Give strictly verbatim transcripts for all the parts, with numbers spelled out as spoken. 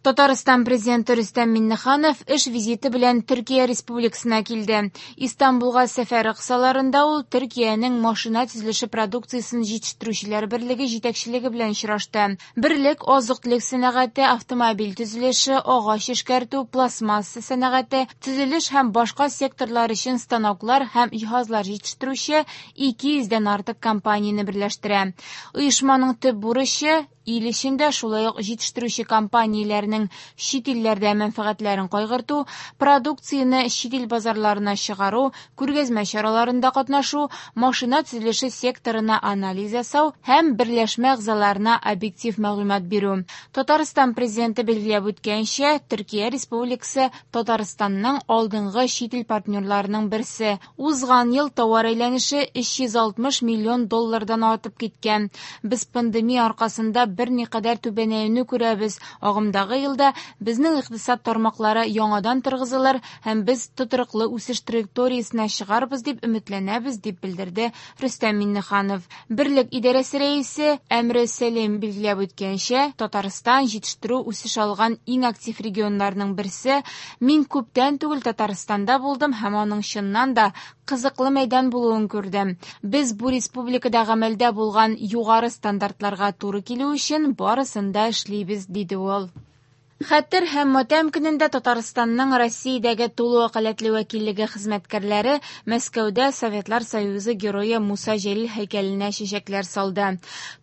Татарстан президенты Рөстәм Миңнеханов эш визиты белән Төркия Республикасына килде. Истанбулга сәфәре кысаларында ул Төркиянең машина төзелеше продукциясен җитештерүчеләр берлеге җитәкчелеге белән очрашты. Берлек азык-төлек сәнәгате, автомобиль төзелеше, агач эшкәртү, пластмасса сәнәгате, төзелеш һәм башка секторлар өчен станоклар һәм җиһазлар җитештерүче ике йөздән артык компанияне берләштерә. Оешманың төп бурычы ил эчендә шулай ук җитештерүче компанияләрнең чит илләрдә мәнфәгатьләрен кайгырту, продукцияне чит ил базарларына чыгару, күргәзмә чараларында катнашу, машина төзелеше секторына анализ ясау һәм берләшмә әгъзаларына объектив мәгълүмат бирү. Татарстан президенты билгеләп үткәнчә, Төркия Республикасы Татарстанның алдынгы чит ил партнерларының берсе. Узган ел товар әйләнеше өч йөз алтмыш миллион доллардан артып киткән. Без пандемия аркасында берникадәр түбәнәюне күрәбез. Агымдагы елда безнең икътисад тармаклары яңадан торгызылыр һәм без тотрыклы үсеш траекториясенә чыгарбыз дип өметләнәбез, дип белдерде Рөстәм Миңнеханов. Берлек идарәсе рәисе Әмре Сәлим билгеләп үткәнчә, Татарстан җитештерү үсеш алган иң актив регионнарның берсе. Мин күптән түгел Татарстанда булдым һәм аның чыннан да кызыклы мәйдан булуын күрдем. Без бу республикада гамәлдә булган югары стандартларга туры килү өчен барысын да эшлибез, диде ул. Хәтер һәм матәм көнендә Татарстанның Россиядәге тулы вәкаләтле вәкиллеге хезмәткәрләре Мәскәүдә Советлар Союзы герое Муса Җәлил һәйкәленә чәчәкләр салды.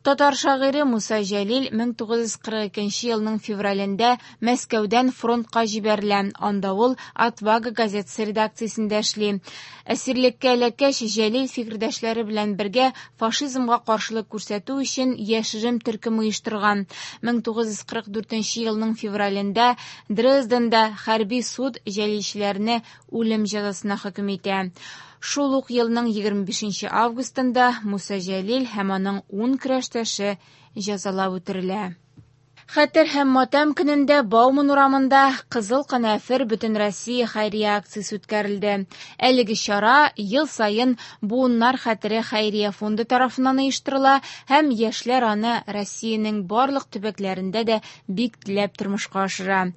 Татар шагыйре Муса Җәлил мең тугыз йөз кырык икенче елның февралендә Мәскәүдән фронтка җибәрелә. Анда ул Отвага газетасы редакциясендә эшли. Әсирлеккә эләккәч, Җәлил фикердәшләре белән бергә фашизмга каршылык күрсәтү өчен яшерен төркем оештырган. Мең тугыз йөз кырык дүртенче елның февралендә Дрезденда хәрби суд җәлилчеләрне үлем җәзасына хөкем итә. Шул ук елның егерме бишенче августында Муса Җәлил һәм аның ун көрәштәше җәзалап үтерелә. Хәтер һәм матәм көнендә Бауман урамында Кызыл канәфер Бөтенроссия хәйрия акциясе үткәрелде. Әлеге чара ел саен Буыннар хәтере хәйрия фонды тарафыннан оештырыла һәм яшьләр аны Россиянең барлык төбәкләрендә дә бик теләп тормышка ашыра.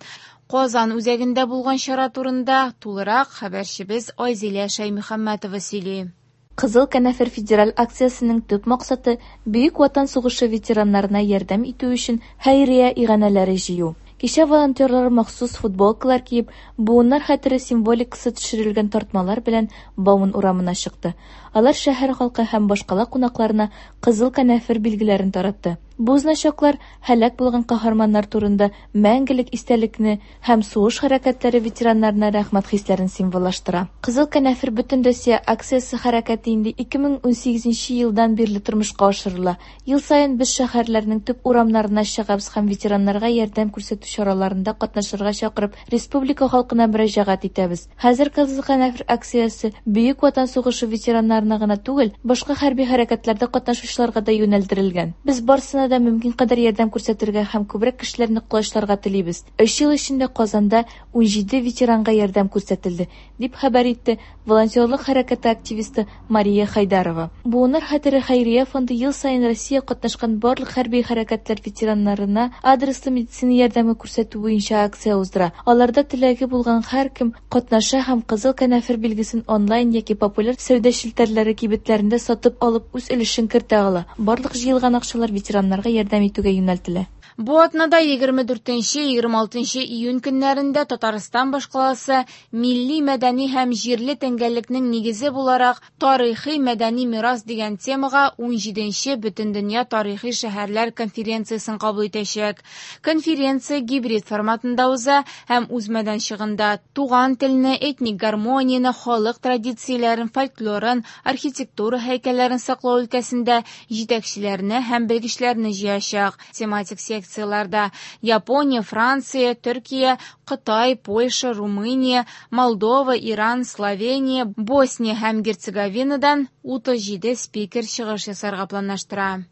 Казан үзәгендә булган чара турында тулырак хәбәрчебез Айзилә Шәймөхәммәтова сөйли. Кызыл канәфер федераль акциясенең төп максаты Бөек Ватан сугышы ветераннарына ярдәм итү өчен хәйрия иганәләре җыю. Кичә волонтерлар махсус футболкалар киеп, буыннар хәтере символикасы төшерелгән тартмалар белән Бауман урамына чыкты. Алар шәһәр халкы һәм башкала кунакларына кызыл канәфер билгеләрен таратты. Бу значоклар һәлак булган каһарманнар турында мәңгелек истәлекне һәм сугыш хәрәкәтләре ветераннарына рәхмәт хисләрен символлаштыра. Кызыл канәфер Бөтенроссия акциясе хәрәкәте инде ике мең унсигезенче елдан бирле тормышка ашырыла. Ел саен без шәһәрләрнең төп урамнарына чыгабыз һәм ветераннарга ярдәм күрсәтү чараларында катнашырга чакырып, республика халкына мөрәҗәгать итәбез. Хәзер Кызыл канәфер акциясе Бөек Ватан сугышы ветераннарына гына түгел, башка хәрби хәрәкәтләрдә катнашучыларга да юнәлдерелгән. Без барысына да мөмкин кадәр ярдәм күрсәтергә һәм күбрәк кешеләрне колачларга телибез. Өч ел эчендә Казанда унҗиде ветеранга ярдәм күрсәтелде, дип хәбәр итте волонтерлык хәрәкәте активисты Мария Хайдарова. Буыннар хәтере хәйрия фонды ел саен Россия катнашкан барлык хәрби хәрәкәтләр ветераннарына адреслы медицина ярдәме күрсәтү буенча акция уздыра. Аларда теләге булган һәркем катнаша һәм кызыл канәфер билгесен онлайн яки популяр сәүдә челтәрләре кибетләрендә сатып алып үз өлешен кертә ала. Барлык җыелган акчалар ветераннарга ярдәм итүгә юнәлтелә. Бу атнада егерме дүртенче, егерме алтынчы июнь көннәрендә Татарстан башкаласы милли мәдәни һәм җирле тәңгәллекнең нигезе буларак тарихи мәдәни мирас дигән темага унҗиденче Бөтендөнья тарихи шәһәрләр конференциясен кабул итәчәк. Конференция гибрид форматында уза һәм үз мәйданчыгында туган телне, этник гармонияне, халык традицияләрен, фольклорын, архитектура һәйкәлләрен саклау өлкәсендә җитәкчеләрне һәм белгечләрне җыячак. Тематик секцияларда Япония, Франция, Төркия, Кытай, Польша, Румыния, Молдова, Иран, Словения, Босния һәм Герцеговинадан утыз җиде спикер чыгыш ясарга планлаштыра.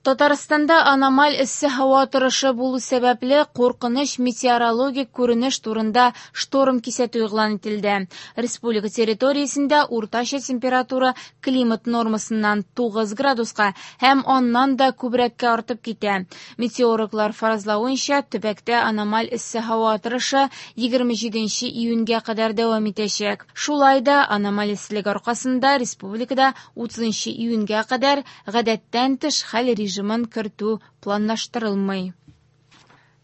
Татарстанда аномаль эссе һава торышы булу сәбәпле куркыныч метеорологик күренеш турында шторм кисәтү игълан ителде. Республика территориясендә уртача температура климат нормасыннан тугыз градуска һәм аннан да күбрәккә артып китә. Метеорологлар фаразлавынча, төбәктә аномаль эссе һава торышы егерме җиденче июньгә кадәр дәвам итәчәк. Шулай да аномаль эсселек аркасында республикада утызынчы июньгә кадәр гадәттән тыш хәл режимын кертү планлаштырылмый.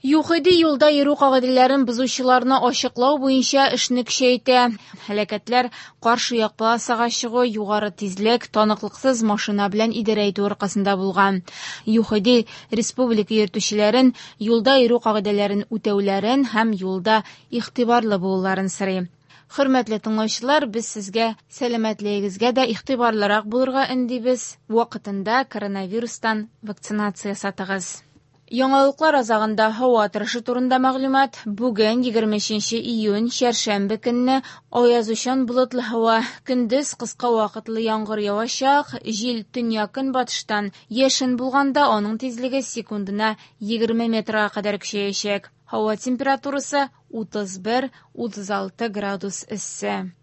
ЮХИДИ юлда йөрү кагыйдәләрен бозучыларны ачыклау буенча эшне көчәйтә. Һәлакәтләр каршы як полосага чыгу, югары тизлек, таныклыксыз машина белән идарә итү аркасында булган. ЮХИДИ республика йөртүчеләрен юлда йөрү кагыйдәләрен үтәүләрен һәм юлда игътибарлы булуларын сорый. Хөрмәтле тыңлаучылар, без сезгә сәламәтлегегезгә дә игътибарлырак булырга өндибез. Вакытында коронавирустан вакцинация ясатыгыз. Яңалыклар азагында һава торышы турында мәгълүмат. Бүген егерме өченче июнь, чәршәмбе көнне аязучан болытлы һава. Көндез кыска вакытлы яңгыр явачак, җил төньяк-көнбатыштан яшен булганда аның тизлеге секундына егерме метрга кадәр көчәячәк. Һава температурасы утыз бер, утыз алты градус эссе.